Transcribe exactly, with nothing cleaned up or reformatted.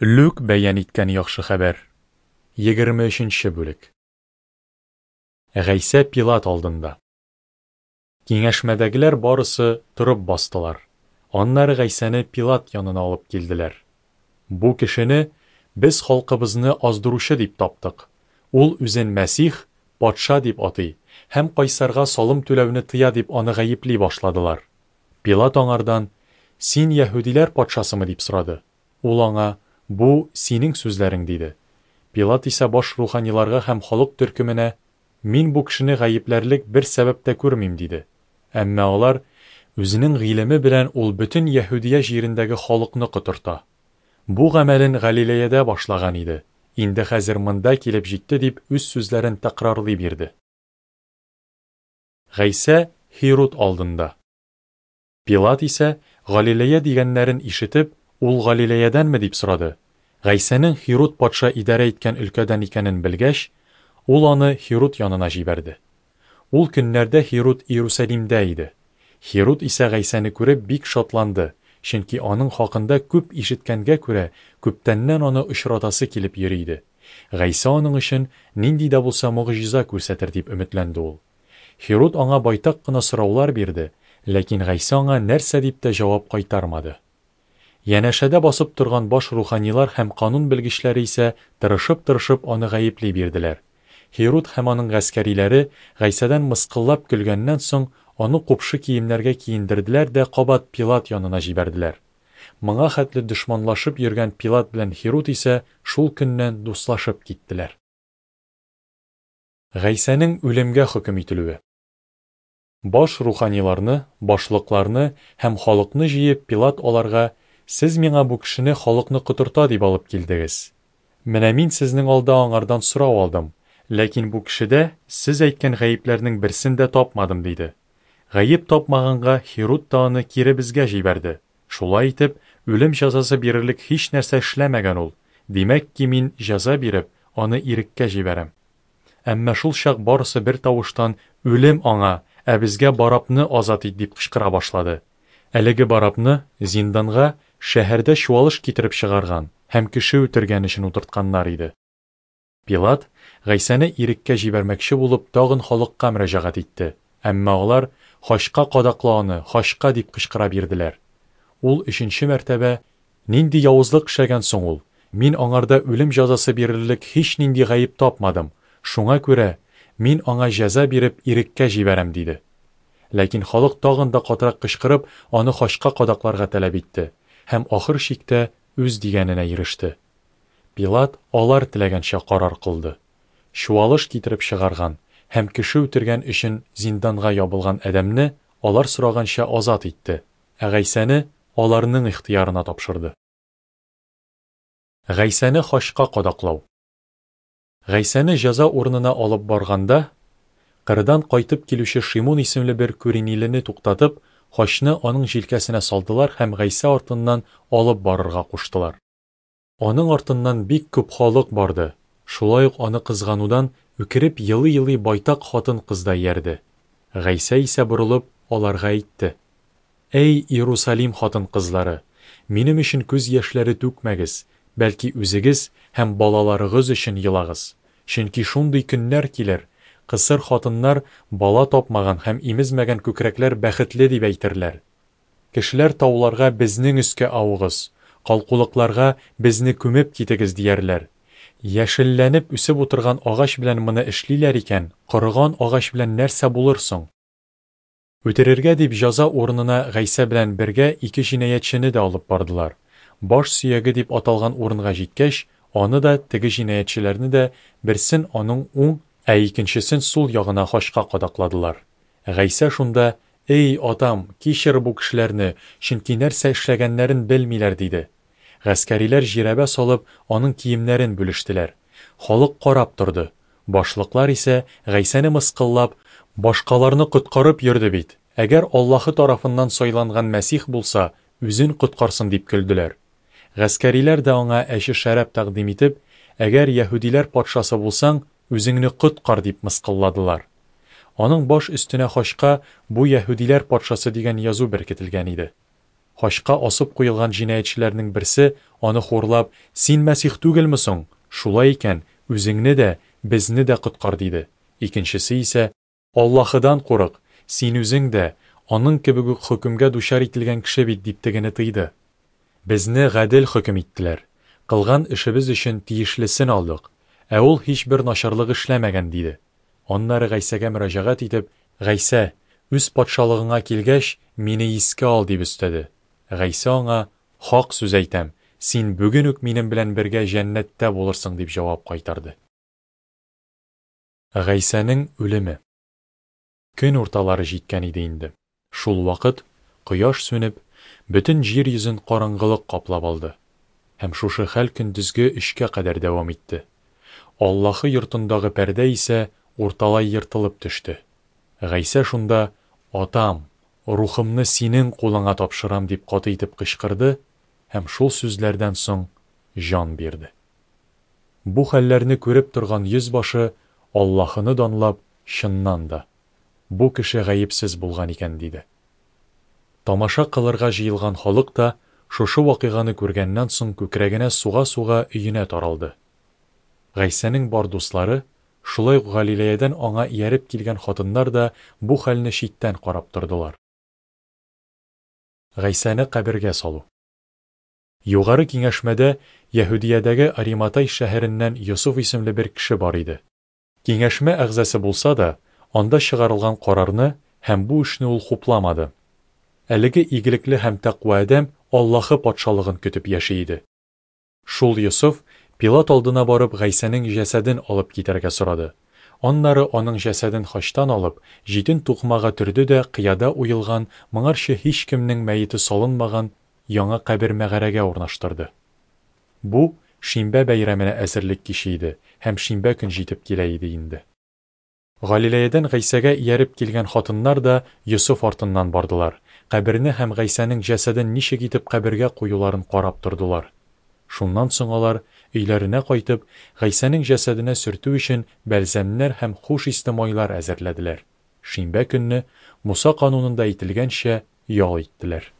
Лүк бәян иткән Яхшы хәбәр. Егерме өченче бүлек. Гайсә Пилат алдында. Киңәшмәдәгеләр барысы торып бастылар. Аннары Гайсәне Пилат янына алып килделәр. Бу кешене без халкыбызны аздыручы дип таптык. Ул үзен Мәсих, патша дип атый һәм кайсарга салым түләүне тыя дип аны гаепли башладылар. Пилат аңардан: "Син яһүдиләр патшасымы?" дип сорады. Ул аңа: "Бу синең сүзләрең", диде. Пилат исә баш руханиларга һәм халык төркеменә: "Мин бу кешене гаепләрлек бер сәбәп тә күрмим", диде. Әмма алар: "Үзенең гыйлеме белән ул бөтен Яһүдия җирендәге халыкны котырта. Бу гамәлен Галилеядә башлаган иде. Инде хәзер монда килеп җитте", дип үз сүзләрен тәкрарлый бирде. Гайсә Һируд алдында. Пилат исә Галилея дигәннәрен ишетеп, ул Галилеядәнме дип сорады. Гайсәнең Һируд патша идарә иткән өлкәдән икәнен белгәч, ул аны Һируд янына җибәрде. Ул көннәрдә Һируд Иерусалимдә иде. Һируд исә Гайсәне күреп бик шатланды, чөнки аның хакында күп ишеткәнгә күрә, күптәннән аны очратасы килеп йөри иде. Гайсә аның өчен нинди дә булса могҗиза күрсәтер дип өметләнде ул. Һируд аңа байтак кына сораулар бирде, ләкин Гайсә аңа нәрсә дип тә җавап кайтармады. Янәшәдә басып торган баш руханилар һәм канун белгечләре исә тырышып-тырышып аны гаепли бирделәр. Һируд һәм аның гаскәриләре Гайсәдән мыскыллап көлгәннән соң аны купшы киемнәргә киендерделәр дә кабат Пилат янына җибәрделәр. Моңа хәтле дошманлашып йөргән Пилат белән Һируд исә шул көннән дуслашып киттеләр. Гайсәнең үлемгә хөкем ителүе. Баш руханиларны, башлыкларны һәм халыкны җыеп, Пилат аларга: "Сез миңа бу кешене халыкны котырта дип алып килдегез. Менә мин сезнең алда аңардан сорау алдым, ләкин бу кешедә сез әйткән гаепләрнең берсен дә тапмадым", диде. Гаеп тапмаганга Һируд та аны кире безгә җибәрде. Шулай итеп, үлем җәзасы бирерлек һич нәрсә эшләмәгән ул. Димәк ки, мин җәза биреп, аны иреккә җибәрәм. Әмма шул чак барысы бер тавыштан: "Үлем аңа, ә безгә Барабны азат ит", дип кычкыра башлады. Әлеге Барабны зинданга шәһәрдә чуалыш китереп чыгарган һәм кеше үтергән өчен утыртканнар иде. Пилат Гайсәне иреккә җибәрмәкче булып тагын халыкка мөрәҗәгать итте. Әмма алар: "Хачка кадакла аны, хачка", дип кычкыра бирделәр. Ул өченче мәртәбә: "Нинди явызлык эшләгән соң ул? Мин аңарда үлем җәзасы бирерлек һич нинди гаеп тапмадым. Шуңа күрә мин аңа җәза биреп иреккә җибәрәм", диде. Ләкин халык тагын да катырак кычкырып, аны хачка кадакларга таләп итте һәм ахыр чиктә үз дигәненә иреште. Пилат алар теләгәнчә карар кылды. Чуалыш китереп чыгарган һәм кеше үтергән өчен зинданга ябылган адәмне алар сораганча азат итте, ә Гайсәне аларның ихтыярына тапшырды. Гайсәне хачка кадаклау. Гайсәне җәза урынына алып барганда, кырдан кайтып килүче Шимун исемле бер күринилене туктатып, хачны аның җилкәсенә салдылар һәм Гайсә артыннан алып барырга куштылар. Аның артыннан бик күп халык барды. Шулай ук аны кызганудан үкереп елый-елый байтак хатын-кыз да иярде. Гайсә исә борылып аларга әйтте: "Әй, Иерусалим хатын-кызлары, минем өчен күз яшьләре түкмәгез, бәлки үзегез һәм балаларыгыз өчен елагыз. Чөнки шундый көннәр килер, кысыр хатыннар, бала тапмаган һәм имезмәгән күкрәкләр бәхетле дип әйтерләр. Кешеләр тауларга безнең өскә авыгыз, калкулыкларга безне күмеп китегез диярләр. Яшелләнеп үсеп утырган агач белән моны эшлиләр икән, корыган агач белән нәрсә булыр соң?" Үтерергә дип җәза урынына Гайсә белән бергә ике җинаятьчене дә алып бардылар. Баш сөяге дип аталган урынга җиткәч, аны да, теге җинаятьчеләрне дә берсен аның уң, ә икенчесен сул ягына хачка кадакладылар. Гайсә шунда: "Эй, атам, кичер бу кешеләрне, чөнки нәрсә эшләгәннәрен белмиләр", диде. Гаскәриләр жирәбә салып, аның киемнәрен бүлештеләр. Халык карап торды. Башлыклар исә Гайсәне мыскыллап: "Башкаларны коткарып йөрде бит. Әгәр Аллаһы тарафыннан сайланган Мәсих булса, үзен коткарсын", дип көлделәр. Гаскәриләр дә аңа әче шәраб тәкъдим итеп: "Әгәр яһүдиләр патшасы булсаң, үзеңне коткар", дип мыскылладылар. Аның баш өстенә хачка "Бу яһүдиләр патшасы" дигән язу беркетелгән иде. Хачка асып куелган җинаятьчеләрнең берсе, аны хурлап, Син Мәсих түгелме соң? Шулай икән, үзеңне дә, безне дә коткар, диде. Икенчесе исә, Аллаһыдан курык, син үзең дә, аның кебек үк хөкемгә дучар ителгән кеше бит, дип тегене тыйды. Безне гадел хөкем иттеләр, кылган эшебез өчен тиешлесен алдык, ә ул һичбер начарлык эшләмәгән, диде. Аннары Гайсәгә мөрәҗәгать итеп, Гайсә, үз патшалыгыңа килгәч, мине искә ал, дип өстәде. Гайсә аңа, Хак сүз әйтәм, син бүген үк минем белән бергә җәннәттә булырсың, дип җавап кайтарды. Гайсәнең үлеме. Көн урталары җиткән иде инде. Шул вакыт кояш сүнеп, бөтен җир йөзен караңгылык каплап алды. Һәм шушы хәл көндезге өчкә кадәр дәвам итте. Аллаһы йортындагы пәрдә исә урталай ертылып төште. Гайсә шунда, Атам, рухымны синең кулыңа тапшырам, дип каты итеп кычкырды һәм шул сүзләрдән соң җан бирде. Бу хәлләрне күреп торган йөзбашы Аллаһыны данлап, чыннан да, бу кеше гаепсез булган икән, диде. Тамаша кылырга җыелган халык та шушы вакыйганы күргәннән соң күкрәгенә суга-суга өенә таралды. Гайсәнең бар дуслары, шулай ук Галилеядән аңа ияреп килгән хатыннар да бу хәлне читтән карап тордылар. Гайсәне кабергә салу. Югары киңәшмәдә Яһүдиядәге Ариматай шәһәреннән Йосыф исемле бер кеше бар иде. Киңәшмә әгъзасы булса да, анда чыгарылган карарны һәм бу эшне ул хупламады. Әлеге игелекле һәм тәкъва адәм Аллаһы патшалыгын көтеп яши иде. Шул Йосыф Пилат алдына барып Гайсәнең җәсәден алып китәргә сорады. Аннары аның җәсәден хачтан алып, җитен тукымага төрде дә кыяда уелган, моңарчы һичкемнең мәете салынмаган яңа кабер мәгарәгә урнаштырды. Бу шимбә бәйрәменә әзерлек киче иде һәм шимбә көн җитеп килә иде инде. Галилеядән Гайсәгә ияреп килгән хатыннар да Йосыф артыннан бардылар. Каберне һәм Гайсәнең җәсәден ничек итеп кабергә куюларын карап тордылар. Шуннан соң алар өйләренә кайтып, Гайсәнең җәсәденә сөртү өчен бәлзәмнәр һәм хуш исле майлар әзерләделәр. Шимбә көнне Муса канунында әйтелгәнчә ял иттеләр.